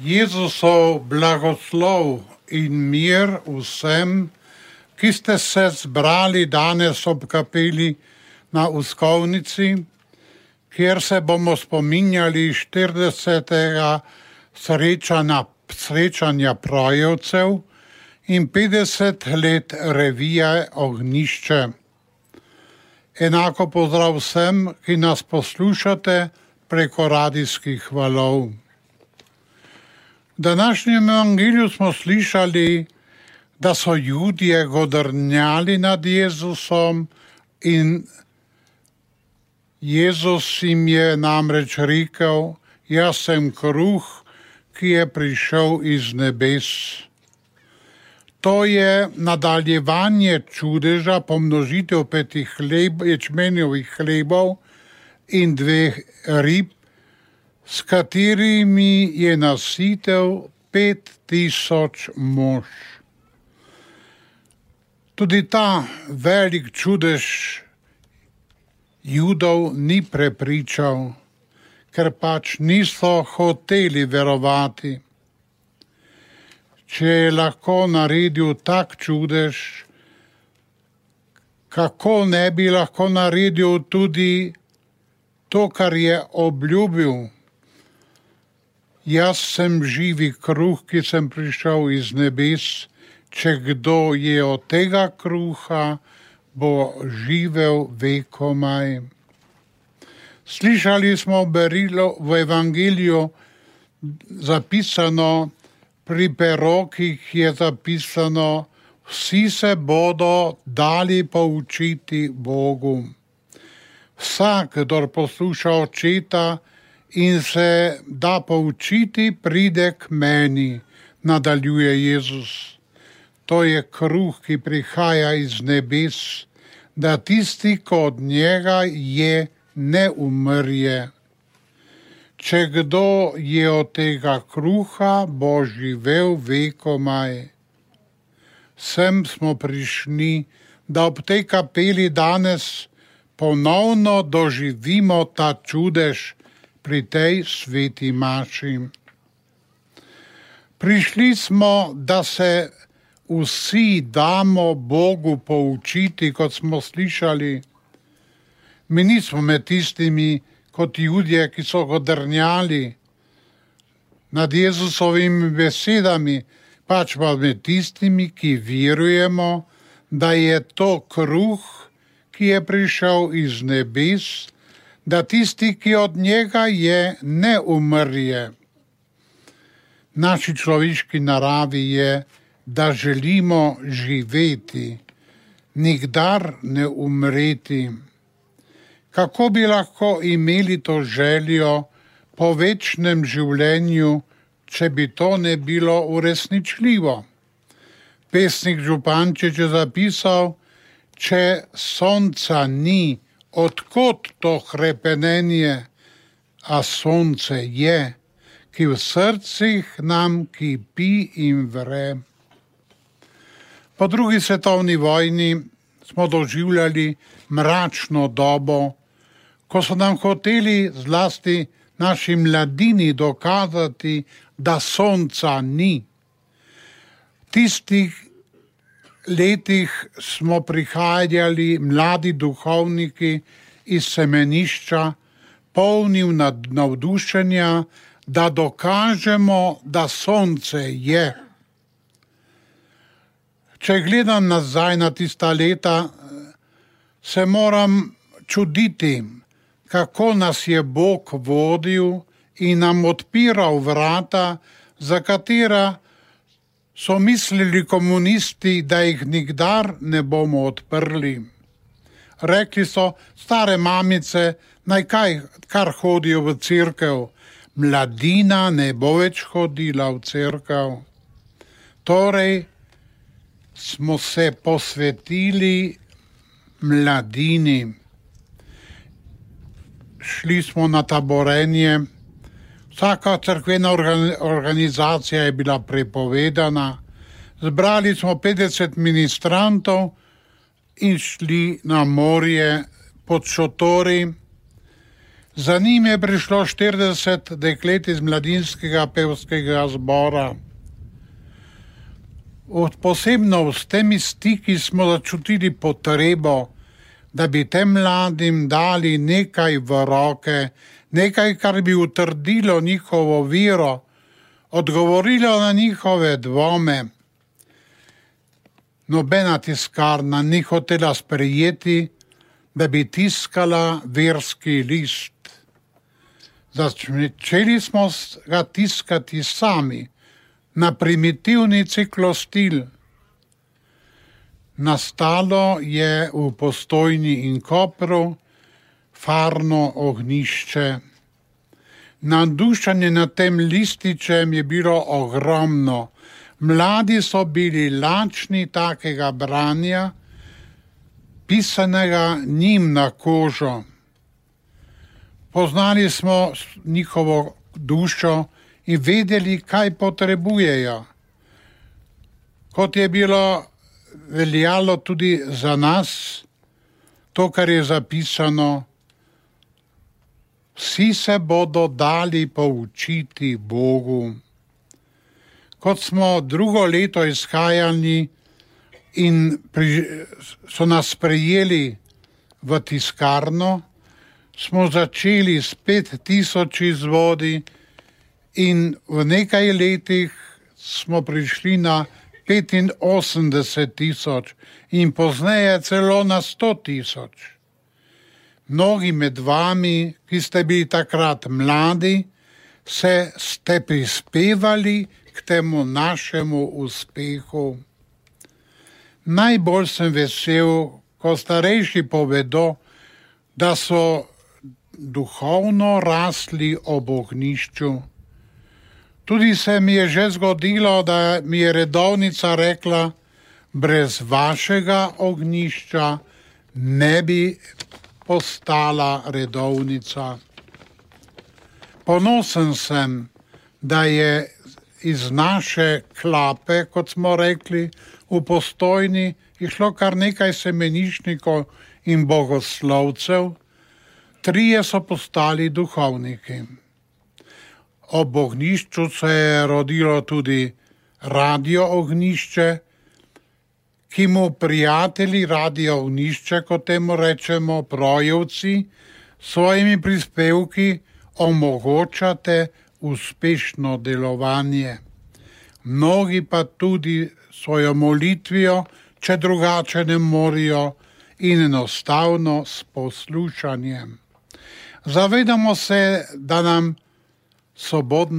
Jezusov blagoslov in mir vsem, ki ste se zbrali danes ob kapeli na Uskovnici, kjer se bomo spominjali 40. srečanja Projevcev in 50 let revije Ognjišče. Enako pozdrav vsem, ki nas poslušate preko radijskih valov. V današnjem evangeliju smo slišali, da so Judje godrnjali nad Jezusom in Jezus jim je namreč rekel: jaz sem kruh, ki je prišel iz nebes. To je nadaljevanje čudeža, pomnožitev 5 ječmenjevih hlebov in 2 rib, s katerimi je nasitev 5000 mož. Tudi ta velik čudež Judov ni prepričal, ker pač niso hoteli verovati. Če je lahko naredil tak čudež, kako ne bi lahko naredil tudi to, kar je obljubil? Jaz sem živi kruh, ki sem prišel iz nebes. Če kdo je od tega kruha, bo živel vekomaj. Slišali smo berilo v evangeliju zapisano, pri perokih je zapisano: vsi se bodo dali poučiti Bogu. Vsak, kdor posluša očeta in se da poučiti, pride k meni, nadaljuje Jezus. To je kruh, ki prihaja iz nebes, da tisti, ko od njega je, ne umrje. Če kdo je od tega kruha, bo živel vekomaj. Sem smo prišli, da ob tej kapeli danes ponovno doživimo ta čudež pri tej sveti maši. Prišli smo, da se vsi damo Bogu poučiti, kot smo slišali. Mi nismo med tistimi kot Judje, ki so godrnjali nad Jezusovimi besedami, pač pa med tistimi, ki verujemo, da je to kruh, ki je prišel iz nebes, da tisti, ki od njega je, ne umrje. Naši človeški naravi je, da želimo živeti, nikdar ne umreti. Kako bi lahko imeli to željo po večnem življenju, če bi to ne bilo uresničljivo? Pesnik Župančič je zapisal: če sonca ni, odkot to hrepenenje, a sonce je, ki v srcih nam kipi in vre. Po drugi svetovni vojni smo doživljali mračno dobo, ko so nam hoteli, zlasti naši mladini, dokazati, da sonca ni. V tistih letih smo prihajali mladi duhovniki iz semenišča, polni navdušenja, da dokažemo, da sonce je. Če gledam nazaj na tista leta, se moram čuditi, kako nas je Bog vodil in nam odpiral vrata, za katera so mislili komunisti, da jih nikdar ne bomo odprli. Rekli so: stare mamice, naj kar hodijo v cerkev, mladina ne bo več hodila v cerkev. Torej smo se posvetili mladini. Šli smo na taborenje. Vsaka cerkvena organizacija je bila prepovedana. Zbrali smo 50 ministrantov in šli na morje pod šotori. Za njim je prišlo 40 deklet iz mladinskega pevskega zbora. Posebno s temi stiki smo začutili potrebo, da bi tem mladim dali nekaj v roke, nekaj, kar bi utrdilo njihovo vero, odgovorilo na njihove dvome. Nobena tiskarna ni hotela sprejeti, da bi tiskala verski list. Začeli smo ga tiskati sami, na primitivni ciklostil. Nastalo je v Postojni in Kopru farno ognjišče. Navdušenje nad tem lističem je bilo ogromno. Mladi so bili lačni takega branja, pisanega njim na kožo. Poznali smo njihovo dušo in vedeli, kaj potrebujejo. Kot je bilo veljalo tudi za nas, to, kar je zapisano, vsi se bodo dali poučiti Bogu. Kot smo drugo leto izhajali in so nas sprejeli v tiskarno, smo začeli s 5000 izvodi in v nekaj letih smo prišli na 85 000 in pozneje celo na 100 000. Mnogi med vami, ki ste bili takrat mladi, ste prispevali k temu našemu uspehu. Najbolj sem vesel, ko starejši povedo, da so duhovno rasli ob ognjišču. Tudi se mi je že zgodilo, da mi je redovnica rekla, brez vašega ognjišča ne bi postala redovnica. Ponosen sem, da je iz naše klape, kot smo rekli, v Postojni išlo kar nekaj semenišnikov in bogoslovcev, 3 so postali duhovniki. Ob ognjišču se je rodilo tudi Radio Ognjišče, ki mu prijatelji Radio Ognjišče, kot temu rečemo, projevci, svojimi prispevki omogočate uspešno delovanje. Mnogi pa tudi svojo molitvijo, če drugače ne morejo, in enostavno s poslušanjem. Zavedamo se, da nam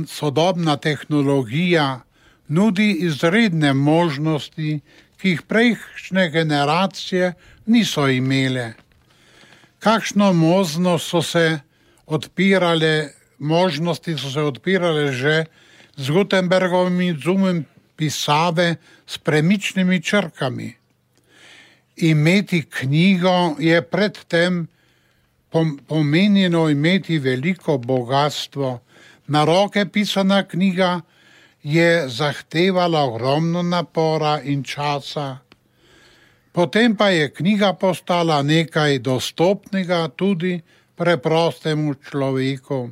sodobna tehnologija nudi izredne možnosti, ki jih prejšnje generacije niso imele. Kakšno možnosti so se odpirale že z Gutenbergovim izumom pisave s premičnimi črkami. Imeti knjigo je predtem pomenjeno imeti veliko bogatstvo. Na roke pisana knjiga je zahtevala ogromno napora in časa. Potem pa je knjiga postala nekaj dostopnega tudi preprostemu človeku.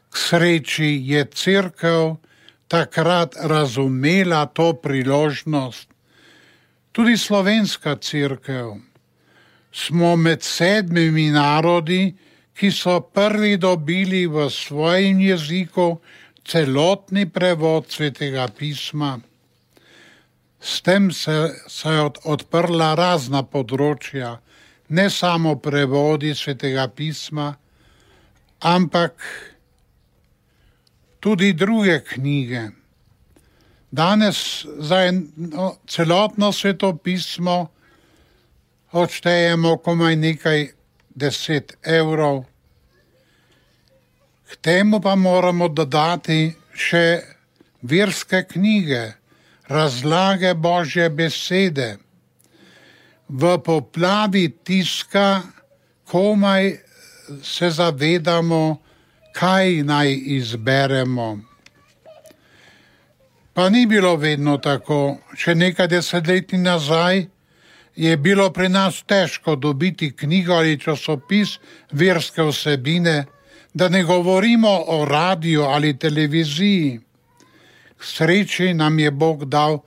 K sreči je Cerkev takrat razumela to priložnost. Tudi slovenska Cerkev. Smo med 7 narodi, ki so prvi dobili v svojem jeziku celotni prevod Svetega pisma. S tem se je odprla razna področja, ne samo prevodi Svetega pisma, ampak tudi druge knjige. Danes za celotno svetopismo odštejemo komaj nekaj 10 evrov. K temu pa moramo dodati še verske knjige, razlage Božje besede. V poplavi tiska komaj se zavedamo, kaj naj izberemo. Pa ni bilo vedno tako. Še nekaj desetletij nazaj je bilo pri nas težko dobiti knjigo ali časopis verske vsebine, Da ne govorimo o radiju ali televiziji. K sreči nam je Bog dal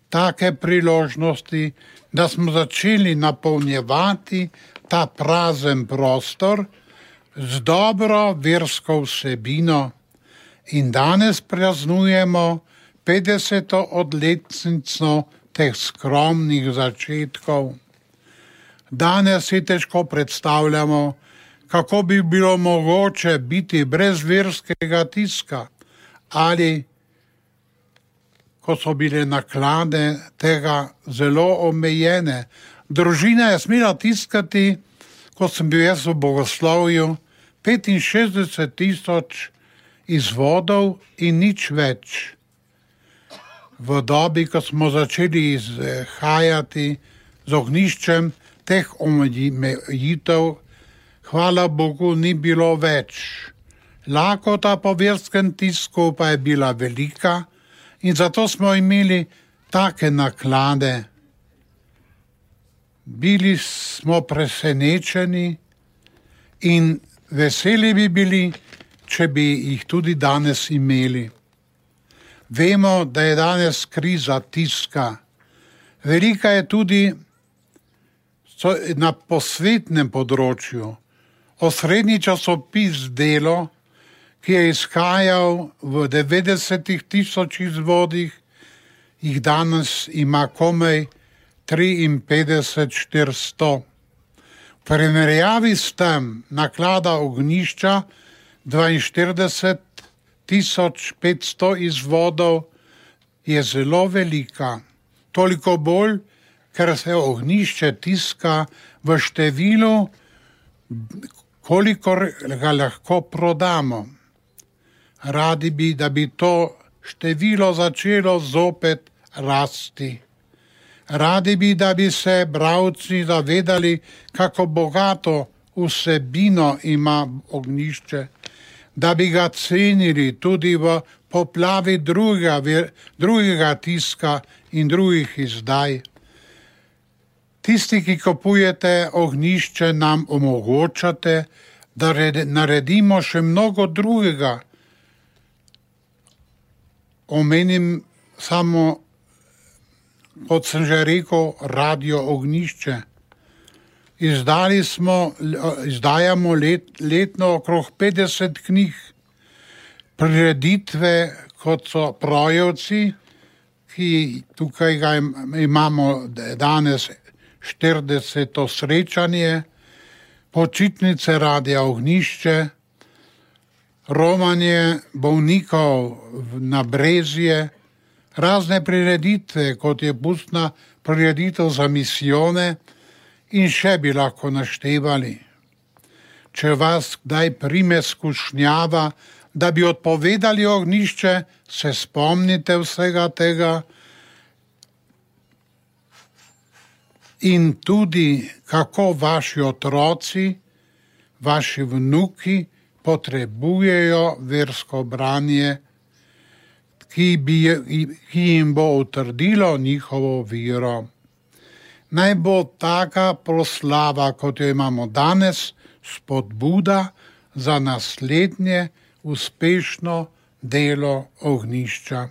take priložnosti, da smo začeli napolnjevati ta prazen prostor z dobro versko vsebino in danes praznujemo 50. odletnico teh skromnih začetkov. Danes si težko predstavljamo, kako bi bilo mogoče biti brez verskega tiska ali, ko so bile naklade tega zelo omejene. Družina je smela tiskati, ko sem bil jaz v bogoslovju, 65,000 izvodov in nič več. V dobi, ko smo začeli izhajati z ognjiščem, teh omejitev, hvala Bogu, ni bilo več. Lakota po verskem tisku pa je bila velika in zato smo imeli take naklade. Bili smo presenečeni in veseli bi bili, če bi jih tudi danes imeli. Vemo, da je danes kriza tiska. Velika je tudi na posvetnem področju. Osrednji časopis Delo, ki je izhajal v 90,000 izvodih, jih danes ima komaj 53,400. V primerjavi s tem naklada Ognjišča 42,500 izvodov je zelo velika. Toliko bolj, ker se Ognjišče tiska v številu, kolikor ga lahko prodamo. Radi bi, da bi to število začelo zopet rasti. Radi bi, da bi se bralci zavedali, kako bogato vsebino ima Ognjišče, da bi ga cenili tudi v poplavi drugega tiska in drugih izdaj. Tisti, ki kupujete Ognjišče, nam omogočate, da naredimo še mnogo drugega. Omenim samo, kot sem že rekel, Radio Ognjišče. Izdajamo letno okrog 50 knjig, prireditve, kot so Projevci, ki tukaj ga imamo danes 40. srečanje, počitnice Radia Ognjišče, romanje bolnikov na Brezje, razne prireditve, kot je pustna prireditev za misijone in še bi lahko naštevali. Če vas kdaj prime skušnjava, da bi odpovedali Ognjišče, se spomnite vsega tega in tudi, kako vaši otroci, vaši vnuki potrebujejo versko branje, ki jim bo utrdilo njihovo vero. Naj bo taka proslava, kot jo imamo danes, spodbuda za naslednje uspešno delo Ognjišča.